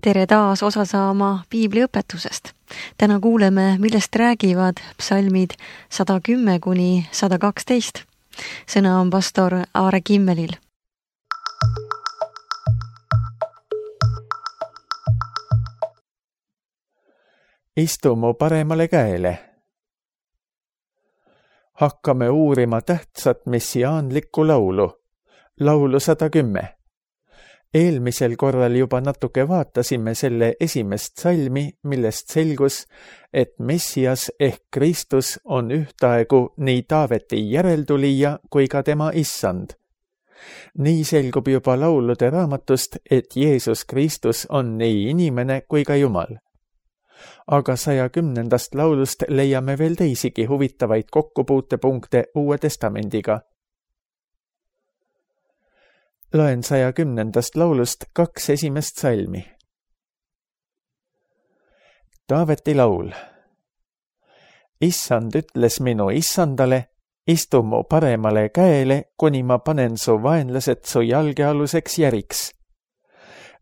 Tere taas osa saama piibliõpetusest. Täna kuuleme, millest räägivad psalmid 110–112. Sõna on pastor Aare Kimmelil. Istu mu paremale käele. Hakkame uurima tähtsat messiaanlikku laulu, laulu 110. Eelmisel korral juba natuke vaatasime selle esimest salmi, millest selgus, et Messias ehk Kristus on ühtaegu nii Taaveti järeltulija kui ka tema issand. Nii selgub juba laulude raamatust, et Jeesus Kristus on nii inimene kui ka Jumal. Aga 110. laulust leiame veel teisigi huvitavaid kokkupuutepunkte Uue Testamendiga. Loen 110. laulust 2 esimest salmi. Taaveti laul. Issand ütles minu issandale, istu mu paremale käele, kuni ma panen su vaenlased su jalgealuseks järiks.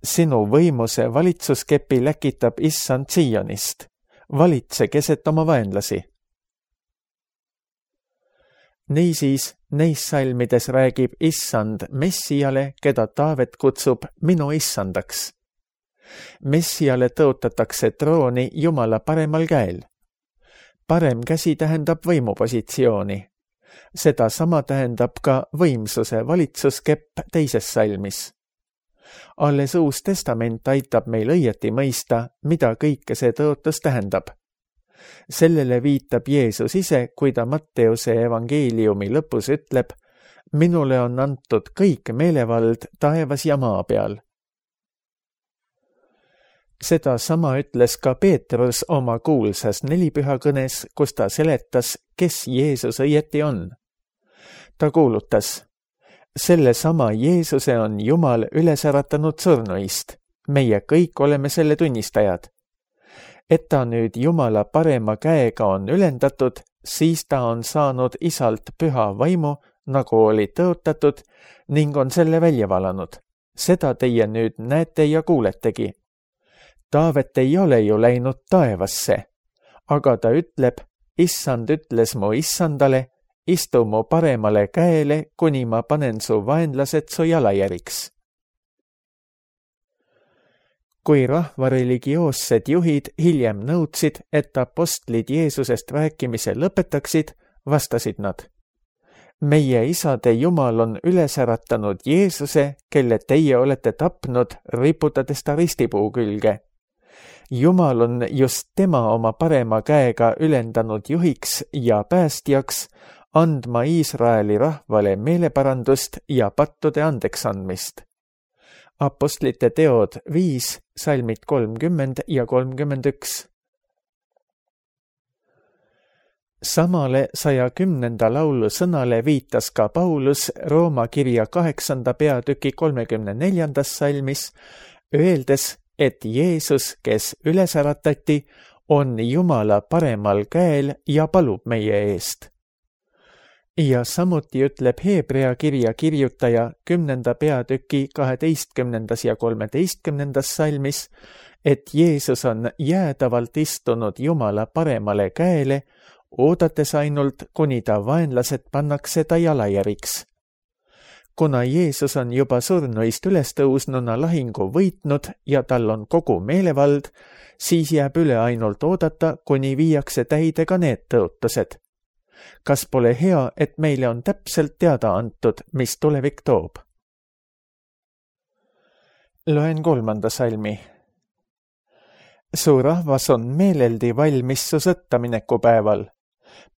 Sinu võimuse valitsuskepi läkitab issand Sionist. Valitse keset oma vaenlasi. Niisiis, neis salmides räägib issand Messiale, keda Taavet kutsub minu issandaks. Messiale tõotatakse trooni Jumala paremal käel. Parem käsi tähendab võimupositsiooni. Seda sama tähendab ka võimsuse valitsuskepp teises salmis. Alles Uus Testament aitab meil õieti mõista, mida kõike see tõotus tähendab. Sellele viitab Jeesus ise, kui ta Matteuse evangeeliumi lõpus ütleb, minule on antud kõik meelevald taevas ja maa peal. Seda sama ütles ka Peetrus oma kuulsas nelipühakõnes, kus ta seletas, kes Jeesus õieti on. Ta kuulutas, selle sama Jeesuse on Jumal üles äratanud surnuist. Meie kõik oleme selle tunnistajad. Et ta nüüd Jumala parema käega on ülendatud, siis ta on saanud isalt püha vaimu, nagu oli tõotatud, ning on selle välja valanud. Seda teie nüüd näete ja kuuletegi. Taavet ei ole ju läinud taevasse, aga ta ütleb, issand ütles mu issandale, istu mu paremale käele, kuni ma panen su vaenlased su jalajäriks. Kui rahva religioossed juhid hiljem nõudsid, et apostlid Jeesusest rääkimise lõpetaksid, vastasid nad. Meie isade Jumal on üles äratanud Jeesuse, kelle teie olete tapnud, riputades ta ristipuu külge. Jumal on just tema oma parema käega ülendanud juhiks ja päästjaks, andma Iisraeli rahvale meeleparandust ja pattude andeksandmist. Apostlite teod 5, salmid 30 ja 31. Samale 110. laulu sõnale viitas ka Paulus Rooma kirja 8. peatüki 34. salmis, öeldes, et Jeesus, kes üles äratati, on Jumala paremal käel ja palub meie eest. Ja samuti ütleb Heebrea kirja kirjutaja 10. peatüki 12. ja 13. salmis, et Jeesus on jäädavalt istunud Jumala paremale käele, oodates ainult, kuni ta vaenlased pannakse ta jalajäriks. Kuna Jeesus on juba surnuist üles tõusnuna lahingu võitnud ja tal on kogu meelevald, siis jääb üle ainult oodata, kuni viiakse täide ka need tõotused. Kas pole hea, et meile on täpselt teada antud, mis tulevik toob? Loen 3. salmi. Su rahvas on meeleldi valmis su sõttamineku päeval.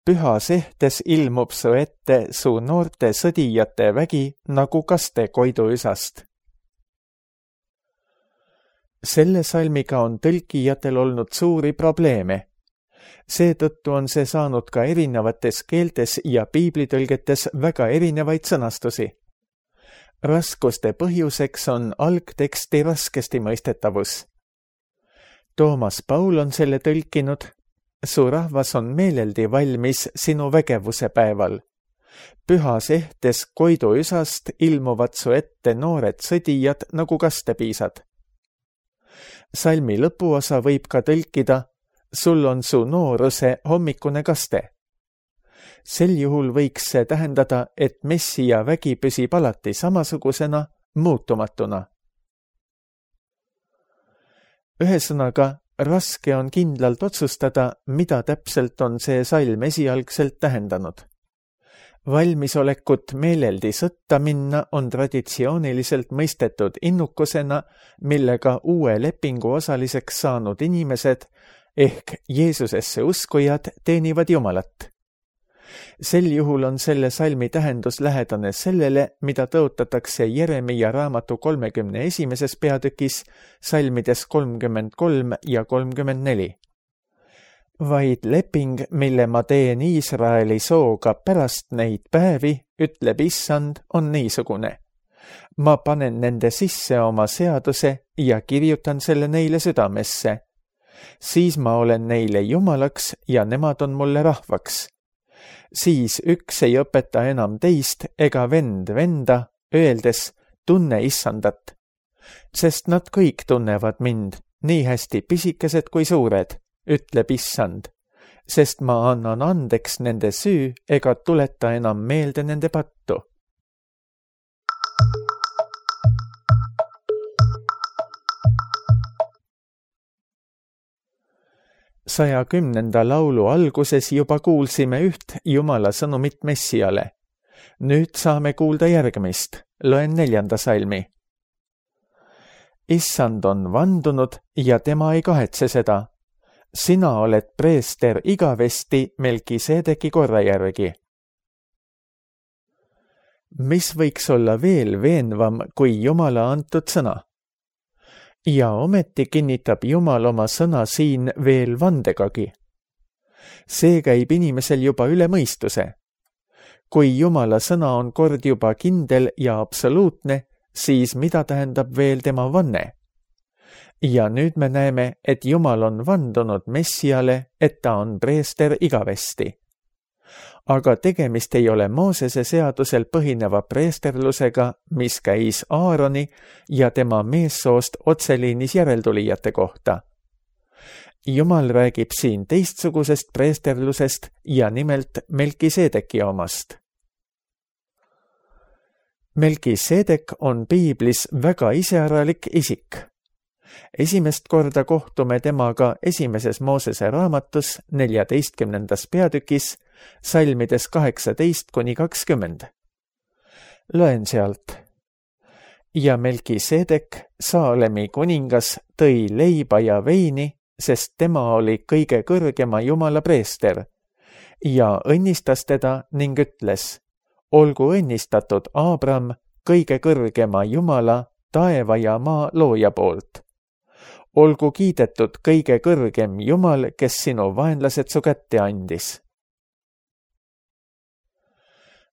Pühas ehtes ilmub su ette su noorte sõdijate vägi nagu kaste koiduüsast. Selle salmiga on tõlkijatel olnud suuri probleeme. Seetõttu on see saanud ka erinevates keeltes ja piiblitõlgetes väga erinevaid sõnastusi. Raskuste põhjuseks on algteksti raskesti mõistetavus. Toomas Paul on selle tõlkinud, su rahvas on meeleldi valmis sinu vägevuse päeval. Pühas ehtes koiduüsast ilmuvad su ette noored sõdijad nagu kastepiisad. Salmi lõpuosa võib ka tõlkida: sul on su nooruse hommikune kaste. Sel juhul võiks see tähendada, et Messia vägi püsib alati samasugusena, muutumatuna. Ühesõnaga, raske on kindlalt otsustada, mida täpselt on see salm esialgselt tähendanud. Valmisolekut meeleldi sõtta minna on traditsiooniliselt mõistetud innukusena, millega uue lepingu osaliseks saanud inimesed ehk Jeesusesse uskujad teenivad Jumalat. Sel juhul on selle salmi tähendus lähedane sellele, mida tõotatakse Jeremia raamatu 31. peatükis salmides 33 ja 34. Vaid leping, mille ma teen Iisraeli sooga pärast neid päevi, ütleb Issand, on niisugune. Ma panen nende sisse oma seaduse ja kirjutan selle neile südamesse. Siis ma olen neile Jumalaks ja nemad on mulle rahvaks. Siis üks ei õpeta enam teist ega vend venda, öeldes: tunne Issandat. Sest nad kõik tunnevad mind, nii hästi pisikesed kui suured, ütleb Issand, sest ma annan andeks nende süü ega tuleta enam meelde nende pattu. Saja 10. laulu alguses juba kuulsime üht Jumala sõnumit Messiale. Nüüd saame kuulda järgmist, loen 4. salmi. Issand on vandunud ja tema ei kahetse seda. Sina oled preester igavesti Melkisedeki korra järgi. Mis võiks olla veel veenvam kui Jumala antud sõna? Ja ometi kinnitab Jumal oma sõna siin veel vandegagi. See käib inimesel juba üle mõistuse. Kui Jumala sõna on kord juba kindel ja absoluutne, siis mida tähendab veel tema vanne? Ja nüüd me näeme, et Jumal on vandunud Messiale, et ta on preester igavesti. Aga tegemist ei ole Moosese seadusel põhineva preesterlusega, mis käis Aaroni ja tema meessoost otseliinis järeltulijate kohta. Jumal räägib siin teistsugusest preesterlusest ja nimelt Melkisedeki omast. Melkisedek on piiblis väga iseäralik isik. Esimest korda kohtume temaga esimeses Moosese raamatus 14. peatükis, salmides 18-20. Loen sealt. Ja Melkisedek, Saalemi kuningas, tõi leiba ja veini, sest tema oli kõige kõrgema Jumala preester, ja õnnistas teda ning ütles: olgu õnnistatud Aabram, kõige kõrgema Jumala, taeva ja maa looja poolt. Olgu kiidetud kõige kõrgem Jumal, kes sinu vaenlased su kätte andis.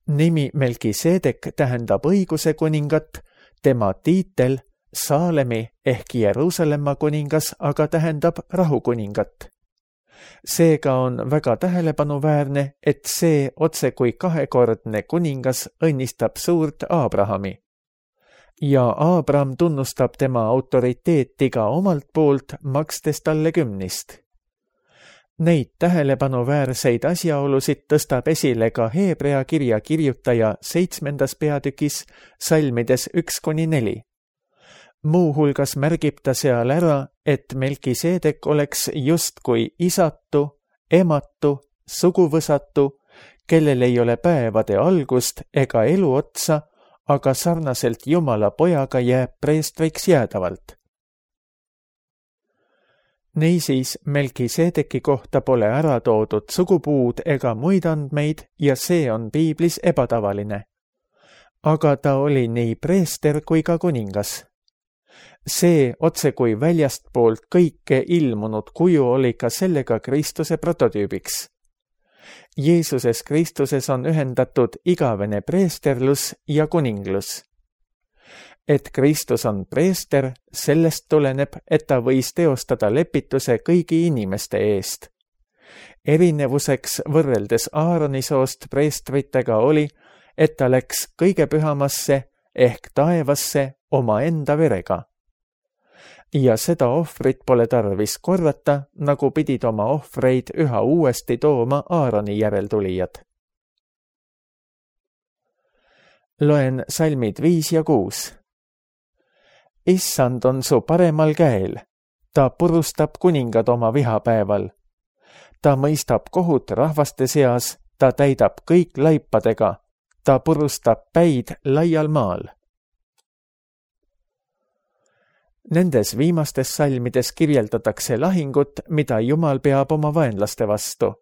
Nimi Melkisedek tähendab õiguse kuningat, tema tiitel Saalemi ehk Jeruusalemma kuningas aga tähendab rahukuningat. Seega on väga tähelepanuväärne, et see otse kui kahekordne kuningas õnnistab suurt Aabrahami. Ja Aabram tunnustab tema autoriteeti ka omalt poolt, makstes talle 10. Neid tähelepanuväärseid asjaolusid tõstab esile ka Heebrea kirja kirjutaja 7. peatükis salmides 1-4. Muuhulgas märgib ta seal ära, et Melkisedek oleks justkui isatu, ematu, suguvõsatu, kellel ei ole päevade algust ega elu otsa, aga sarnaselt Jumala pojaga jääb preestriks jäädavalt. Niisiis, Melkisedeki kohta pole ära toodud sugupuud ega muid andmeid ja see on piiblis ebatavaline. Aga ta oli nii preester kui ka kuningas. See otse kui väljastpoolt kõike ilmunud kuju oli ka sellega Kristuse prototüübiks. Jeesuses Kristuses on ühendatud igavene preesterlus ja kuninglus. Et Kristus on preester, sellest tuleneb, et ta võis teostada lepituse kõigi inimeste eest. Erinevuseks võrreldes Aaroni soost preestritega oli, et ta läks kõige pühamasse ehk taevasse omaenda verega. ja seda ohvrit pole tarvis korrata, nagu pidid oma ohvreid üha uuesti tooma Aaroni järeltulijad. Loen salmid 5 ja 6. Issand on su paremal käel, ta purustab kuningad oma vihapäeval. Ta mõistab kohut rahvaste seas, ta täidab kõik laipadega, ta purustab päid laial maal. Nendes viimastes salmides kirjeldatakse lahingut, mida Jumal peab oma vaenlaste vastu.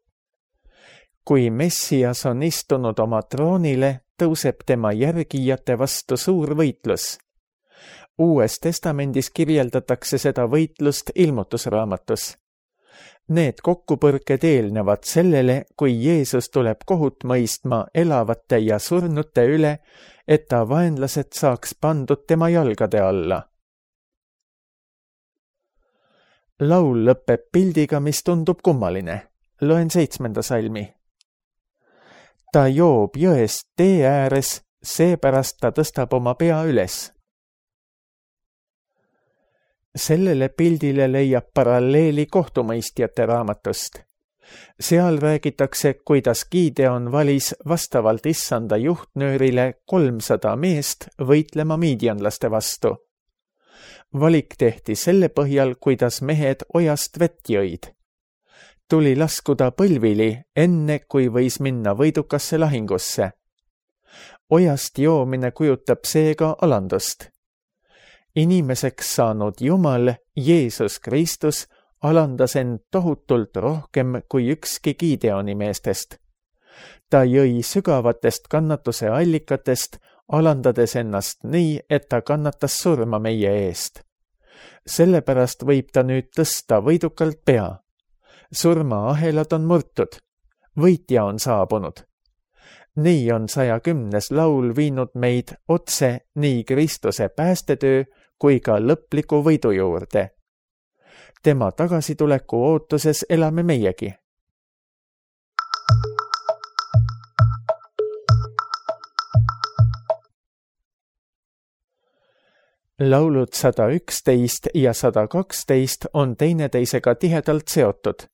Kui Messias on istunud oma troonile, tõuseb tema järgijate vastu suur võitlus. Uues testamendis kirjeldatakse seda võitlust Ilmutusraamatus. Need kokkupõrked eelnevad sellele, kui Jeesus tuleb kohut mõistma elavate ja surnute üle, et ta vaenlased saaks pandud tema jalgade alla. Laul lõpeb pildiga, mis tundub kummaline. Loen 7. salmi. Ta joob jõest tee ääres, seepärast ta tõstab oma pea üles. Sellele pildile leiab paralleeli kohtumõistjate raamatust. Seal räägitakse, kuidas Gideon valis vastavalt issanda juhtnöörile 300 meest võitlema miidianlaste vastu. Valik tehti selle põhjal, kuidas mehed ojast vett jõid. Tuli laskuda põlvili, enne kui võis minna võidukasse lahingusse. Ojast joomine kujutab seega alandust. Inimeseks saanud Jumal, Jeesus Kristus, alandas end tohutult rohkem kui ükski Gideoni meestest. Ta jõi sügavatest kannatuse allikatest, alandades ennast nii, et ta kannatas surma meie eest. Sellepärast võib ta nüüd tõsta võidukalt pea. Surmaahelad on murtud. Võitja on saabunud. Nii on 110. laul viinud meid otse nii Kristuse päästetöö kui ka lõpliku võidu juurde. Tema tagasituleku ootuses elame meiegi. Laulud 111 ja 112 on teineteisega tihedalt seotud.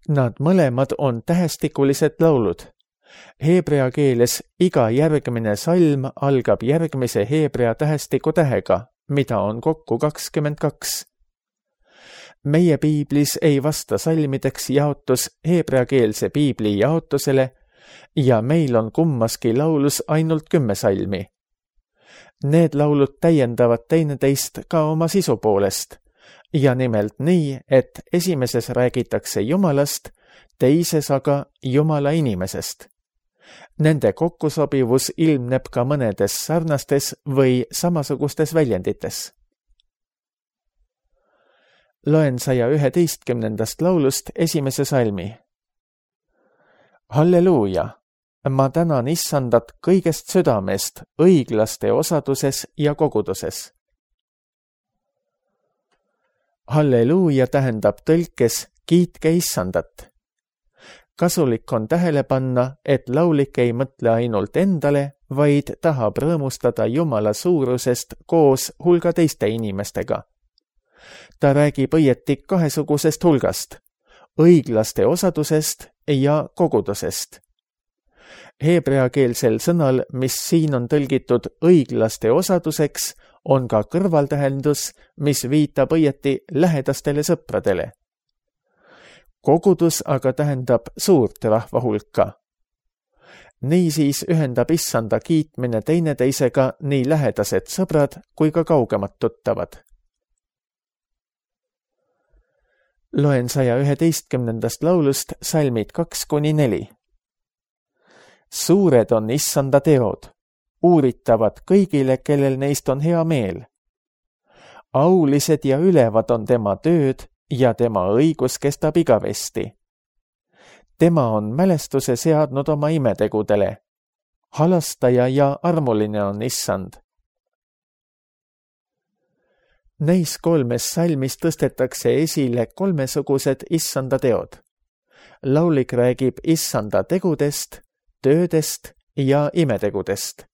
Nad mõlemad on tähestikulised laulud. Heebrea keeles iga järgmine salm algab järgmise heebrea tähestiku tähega, mida on kokku 22. Meie piiblis ei vasta salmideks jaotus heebreakeelse piibli jaotusele ja meil on kummaski laulus ainult 10 salmi. Need laulud täiendavad teineteist ka oma sisu poolest ja nimelt nii, et esimeses räägitakse Jumalast, teises aga Jumala inimesest. Nende kokkusobivus ilmneb ka mõnedes sarnastes või samasugustes väljendites. Loen 111. laulust esimese salmi. Halleluuja! Ma tänan issandat kõigest südamest, õiglaste osaduses ja koguduses. Halleluuja tähendab tõlkes kiitke issandat. Kasulik on tähele panna, et laulik ei mõtle ainult endale, vaid tahab rõõmustada Jumala suurusest koos hulga teiste inimestega. Ta räägib õieti kahesugusest hulgast, õiglaste osadusest ja kogudusest. Heebreakeelsel sõnal, mis siin on tõlgitud õiglaste osaduseks, on ka kõrvaltähendus, mis viitab õieti lähedastele sõpradele. Kogudus aga tähendab suurt rahva hulka. Niisiis ühendab issanda kiitmine teineteisega nii lähedased sõbrad kui ka kaugemad tuttavad. Loen 111. laulust salmid 2-4. Suured on issanda teod, uuritavad kõigile, kellel neist on hea meel. Aulised ja ülevad on tema tööd ja tema õigus kestab igavesti. Tema on mälestuse seadnud oma imetegudele. Halastaja ja armuline on issand. Neis 3 salmis tõstetakse esile 3 issanda teod. Laulik räägib issanda tegudest, töödest ja imetegudest.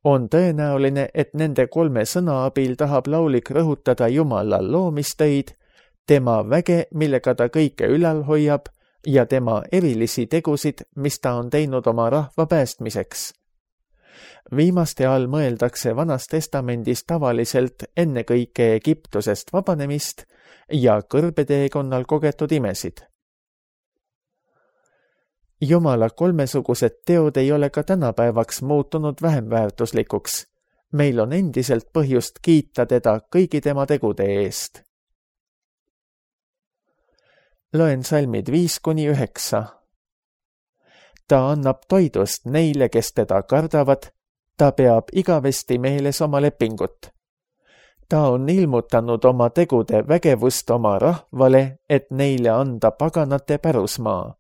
On tõenäoline, et nende 3 sõna abil tahab laulik rõhutada Jumala loomistöid, tema väge, millega ta kõike ülal hoiab, ja tema erilisi tegusid, mis ta on teinud oma rahva päästmiseks. Viimaste all mõeldakse Vanas Testamendis tavaliselt ennekõike Egiptusest vabanemist ja kõrbeteekonnal kogetud imesid. Jumala 3 teod ei ole ka tänapäevaks muutunud vähem väärtuslikuks. Meil on endiselt põhjust kiita teda kõigi tema tegude eest. Loen salmid 5-9. Ta annab toidust neile, kes teda kardavad, ta peab igavesti meeles oma lepingut. Ta on ilmutanud oma tegude vägevust oma rahvale, et neile anda paganate pärusmaa.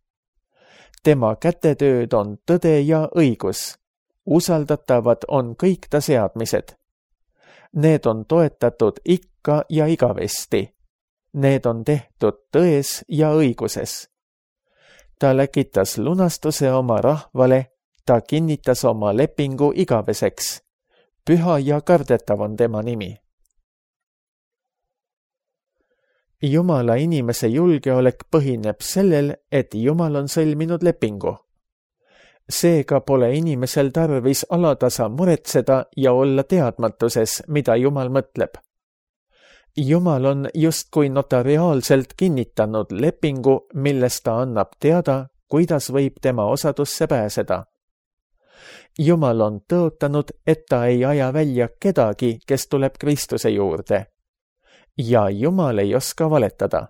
Tema kätetööd on tõde ja õigus. Usaldatavad on kõik ta seadmised. Need on toetatud ikka ja igavesti. Need on tehtud tões ja õiguses. Ta läkitas lunastuse oma rahvale, ta kinnitas oma lepingu igaveseks. Püha ja kardetav on tema nimi. Jumala inimese julgeolek põhineb sellel, et Jumal on sõlminud lepingu. Seega pole inimesel tarvis alatasa muretseda ja olla teadmatuses, mida Jumal mõtleb. Jumal on justkui notariaalselt kinnitanud lepingu, milles ta annab teada, kuidas võib tema osadusse pääseda. Jumal on tõotanud, et ta ei aja välja kedagi, kes tuleb Kristuse juurde. Ja Jumal ei oska valetada.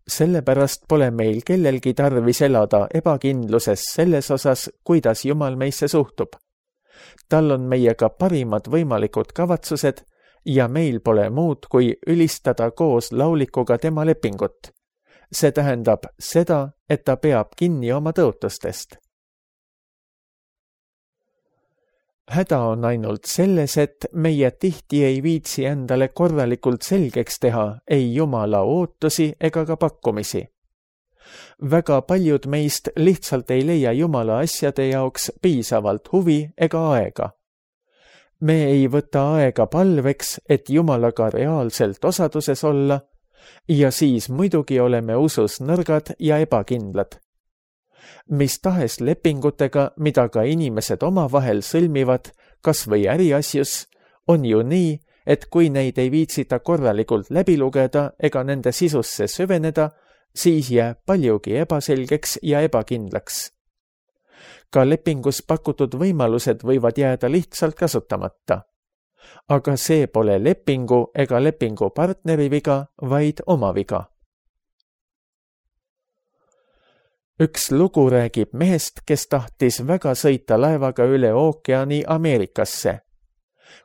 Sellepärast pole meil kellelgi tarvis elada ebakindluses selles osas, kuidas Jumal meisse suhtub. Tal on meiega parimad võimalikud kavatsused ja meil pole muud, kui ülistada koos laulikuga tema lepingut. See tähendab seda, et ta peab kinni oma tõotustest. Häda on ainult selles, et meie tihti ei viitsi endale korralikult selgeks teha ei Jumala ootusi ega ka pakkumisi. Väga paljud meist lihtsalt ei leia Jumala asjade jaoks piisavalt huvi ega aega. Me ei võta aega palveks, et Jumalaga reaalselt osaduses olla, ja siis muidugi oleme usus nõrgad ja ebakindlad. Mis tahes lepingutega, mida ka inimesed omavahel sõlmivad, kas või äriasjus, on ju nii, et kui neid ei viitsita korralikult läbi lugeda ega nende sisusse süveneda, siis jääb paljugi ebaselgeks ja ebakindlaks. Ka lepingus pakutud võimalused võivad jääda lihtsalt kasutamata. Aga see pole lepingu ega lepingu partneri viga, vaid oma viga. Üks lugu räägib mehest, kes tahtis väga sõita laevaga üle ookeani Ameerikasse.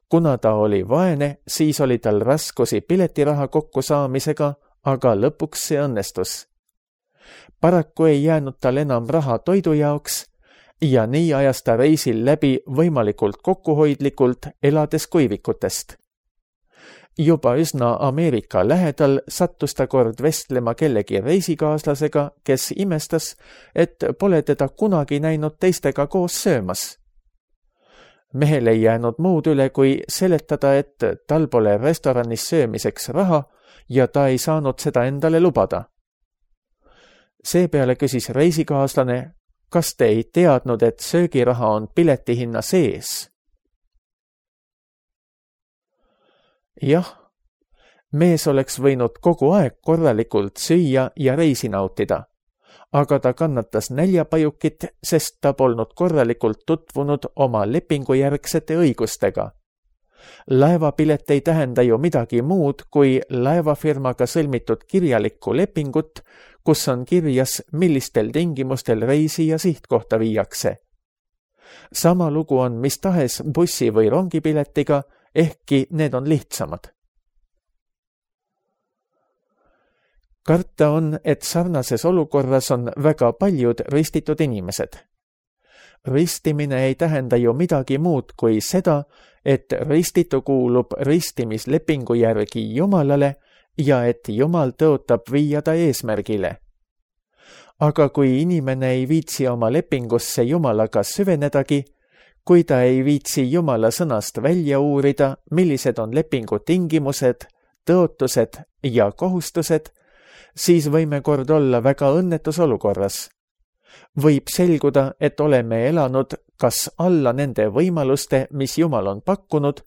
Kuna ta oli vaene, siis oli tal raskusi piletiraha kokkusaamisega, aga lõpuks see õnnestus. Paraku ei jäänud tal enam raha toidu jaoks ja nii ajas ta reisil läbi võimalikult kokkuhoidlikult, elades kuivikutest. Juba üsna Ameerika lähedal sattus ta kord vestlema kellegi reisikaaslasega, kes imestas, et pole teda kunagi näinud teistega koos söömas. Mehel ei jäänud muud üle, kui seletada, et tal pole restoranis söömiseks raha ja ta ei saanud seda endale lubada. Seepeale küsis reisikaaslane, kas te ei teadnud, et söögiraha on piletihinna sees? Jah, mees oleks võinud kogu aeg korralikult süüa ja reisi nautida, aga ta kannatas näljapajukit, sest ta polnud korralikult tutvunud oma lepingujärgsete õigustega. Laevapilet ei tähenda ju midagi muud kui laevafirmaga sõlmitud kirjalikku lepingut, kus on kirjas, millistel tingimustel reisi ja sihtkohta viiakse. Sama lugu on mis tahes bussi- või rongipiletiga, ehkki need on lihtsamad. Karta on, et sarnases olukorras on väga paljud ristitud inimesed. Ristimine ei tähenda ju midagi muud kui seda, et ristitu kuulub ristimislepingu järgi Jumalale ja et Jumal tõotab viia ta eesmärgile. Aga kui inimene ei viitsi oma lepingusse Jumalaga süvenedagi, kui ta ei viitsi Jumala sõnast välja uurida, millised on lepingu tingimused, tõotused ja kohustused, siis võime kord olla väga õnnetus olukorras. Võib selguda, et oleme elanud kas alla nende võimaluste, mis Jumal on pakkunud,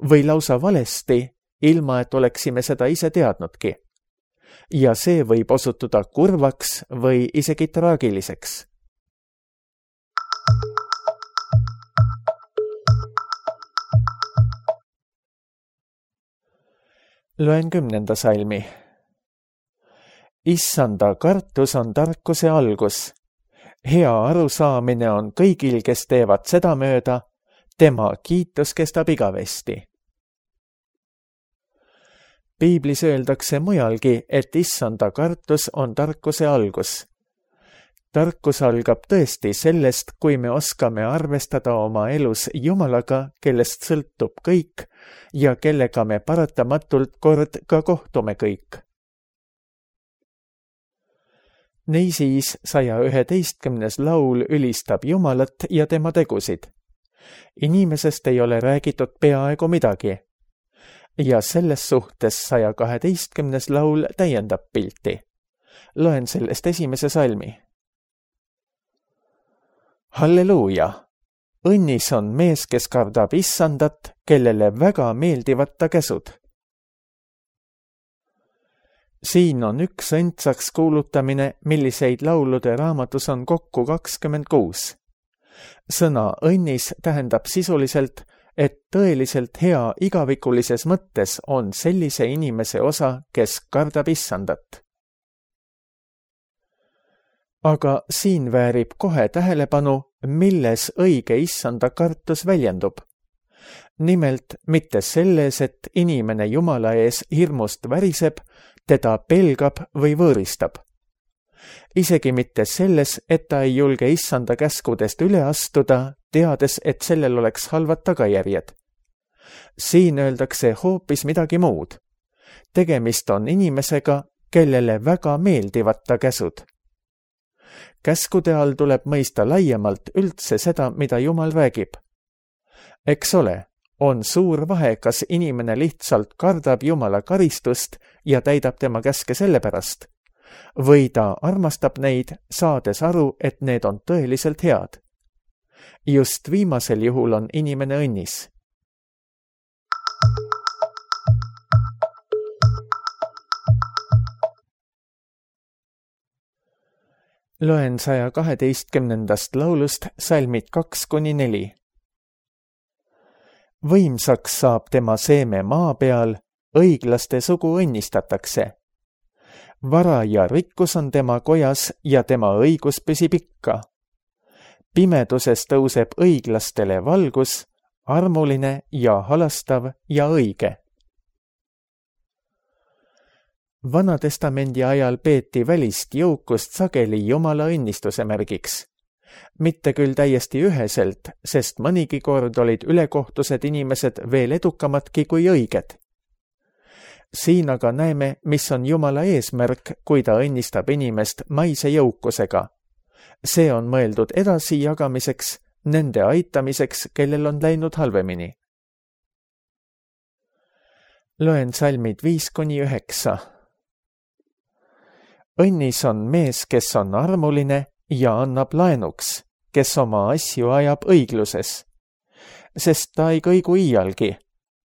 või lausa valesti, ilma et oleksime seda ise teadnudki. Ja see võib osutuda kurvaks või isegi traagiliseks. Loen 10. salmi. Issanda kartus on tarkuse algus. Hea arusaamine on kõigil, kes teevad seda mööda, tema kiitus kestab igavesti. Piiblis öeldakse mujalgi, et issanda kartus on tarkuse algus. Tarkus algab tõesti sellest, kui me oskame arvestada oma elus Jumalaga, kellest sõltub kõik ja kellega me paratamatult kord ka kohtume kõik. Niisiis 111. laul ülistab Jumalat ja tema tegusid. Inimesest ei ole räägitud peaaegu midagi. Ja selles suhtes 112. laul täiendab pilti. Loen sellest 1. salmi. Halleluuja! Õnnis on mees, kes kardab issandat, kellele väga meeldivad ta käsud. Siin on üks õndsaks kuulutamine, milliseid laulude raamatus on kokku 26. Sõna õnnis tähendab sisuliselt, et tõeliselt hea igavikulises mõttes on sellise inimese osa, kes kardab issandat. Aga siin väärib kohe tähelepanu, milles õige issanda kartus väljendub. Nimelt mitte selles, et inimene Jumala ees hirmust väriseb, teda pelgab või võõristab. Isegi mitte selles, et ta ei julge issanda käskudest üle astuda, teades, et sellel oleks halvad tagajärjed. Siin öeldakse hoopis midagi muud. Tegemist on inimesega, kellele väga meeldivad ta käsud. Käskude all tuleb mõista laiemalt üldse seda, mida Jumal räägib. Eks ole, on suur vahe, kas inimene lihtsalt kardab Jumala karistust ja täidab tema käske sellepärast, või ta armastab neid, saades aru, et need on tõeliselt head. Just viimasel juhul on inimene õnnis. Loen 112. laulust salmid 2-4. Võimsaks saab tema seeme maa peal, õiglaste sugu õnnistatakse. Vara ja rikkus on tema kojas ja tema õigus püsib ikka. Pimeduses tõuseb õiglastele valgus, armuline ja halastav ja õige. Vanatestamendi ajal peeti välist jõukust sageli Jumala õnnistuse märgiks. Mitte küll täiesti üheselt, sest mõnigi kord olid ülekohtused inimesed veel edukamadki kui õiged. Siin aga näeme, mis on Jumala eesmärk, kui ta õnnistab inimest maise jõukusega. See on mõeldud edasi jagamiseks, nende aitamiseks, kellel on läinud halvemini. Loen salmid 5-9. Õnnis on mees, kes on armuline ja annab laenuks, kes oma asju ajab õigluses. Sest ta ei kõigu iialgi,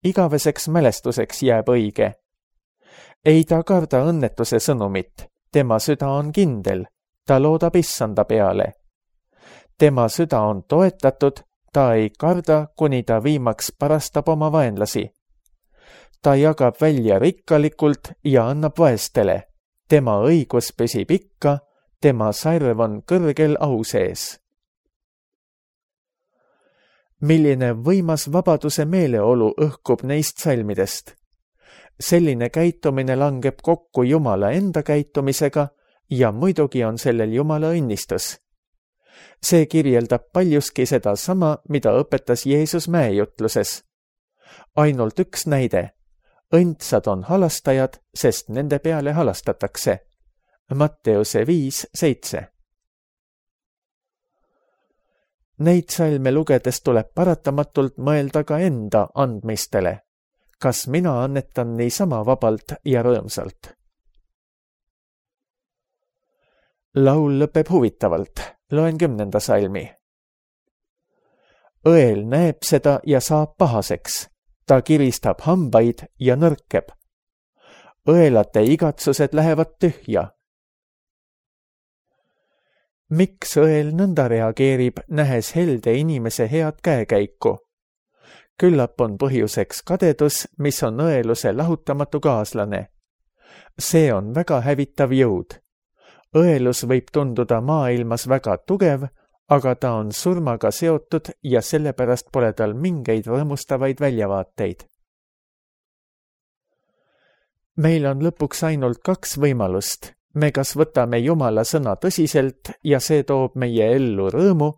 igaveseks mälestuseks jääb õige. Ei ta karda õnnetuse sõnumit, tema süda on kindel, ta loodab issanda peale. Tema süda on toetatud, ta ei karda, kuni ta viimaks parastab oma vaenlasi. Ta jagab välja rikkalikult ja annab vaestele. Tema õigus püsib ikka, tema sarv on kõrgel au sees. Milline võimas vabaduse meeleolu õhkub neist salmidest. Selline käitumine langeb kokku Jumala enda käitumisega ja muidugi on sellel Jumala õnnistus. See kirjeldab paljuski seda sama, mida õpetas Jeesus mäejutluses. Ainult üks näide. Õndsad on halastajad, sest nende peale halastatakse. Matteuse 5:7. Neid salme lugedes tuleb paratamatult mõelda ka enda andmistele. Kas mina annetan niisama vabalt ja rõõmsalt? Laul lõpeb huvitavalt. Loen 10. salmi. Õel näeb seda ja saab pahaseks. Ta kiristab hambaid ja nõrkeb. Õelate igatsused lähevad tühja. Miks õel nõnda reageerib, nähes helde inimese head käekäiku? Küllap on põhjuseks kadedus, mis on õeluse lahutamatu kaaslane. See on väga hävitav jõud. Õelus võib tunduda maailmas väga tugev, aga ta on surmaga seotud ja sellepärast pole tal mingeid rõõmustavaid väljavaateid. Meil on lõpuks ainult 2 võimalust. Me kas võtame Jumala sõna tõsiselt ja see toob meie ellu rõõmu,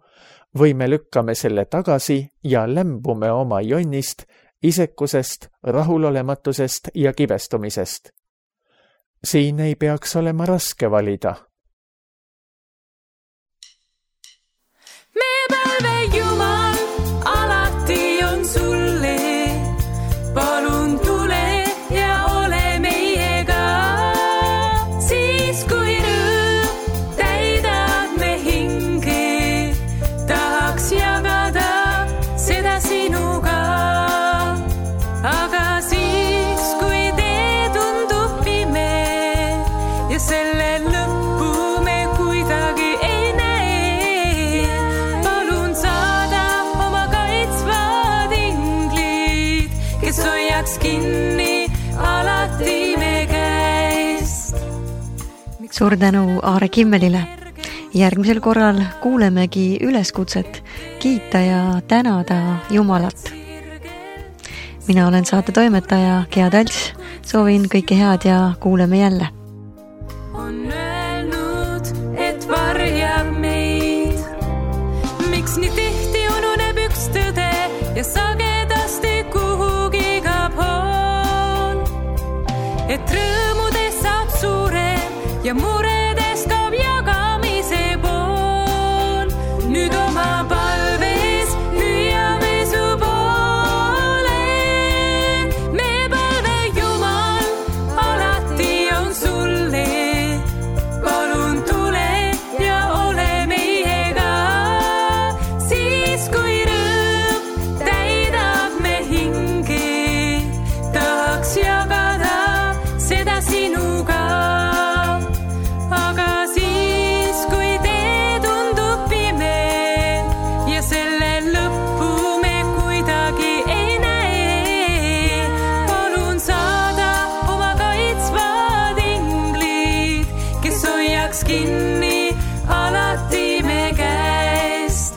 või me lükkame selle tagasi ja lämbume oma jonnist, isekusest, rahulolematusest ja kibestumisest. Siin ei peaks olema raske valida. Me palve Jumal, alati on sulle, palun tule ja ole meiega. Siis kui rõõm täidab me hinge, tahaks jagada seda sinuga. Aga siis kui tee tundub pime ja selle lõppu me kuidagi ei näe, palun saada oma kaitsvad inglid, kes hoiaks kinni alati me käest. Suur tänu Aare Kimmelile. Järgmisel korral kuulemegi üleskutset kiita ja tänada Jumalat. Mina olen saate toimetaja Gea Talts. Soovin kõike head ja kuuleme jälle. On öelnud, et varjab meid. Miks nii tihti ununeb üks tõde ja sagedasti kuhugi kaob hoon? Et rõõmudes saab suurem ja muredes kaob jagamise pool. Nüüd oma palves hüüame su poole. Me palve Jumal, alati on sulle, palun tule ja ole meiega. Siis kui rõõm täidab me hinge, tahaks jagada seda sinuga. Aga siis kui tee tundub pime ja selle lõppu me kuidagi ei näe, palun saada oma kaitsvad inglid, kes hoiaks kinni alati me käest.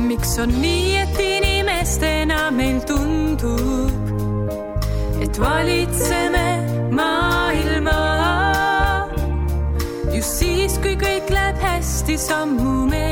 Miks on nii, et inimestena meil tundub, et valitseme maailma? Just siis, kui kõik läheb hästi, sammume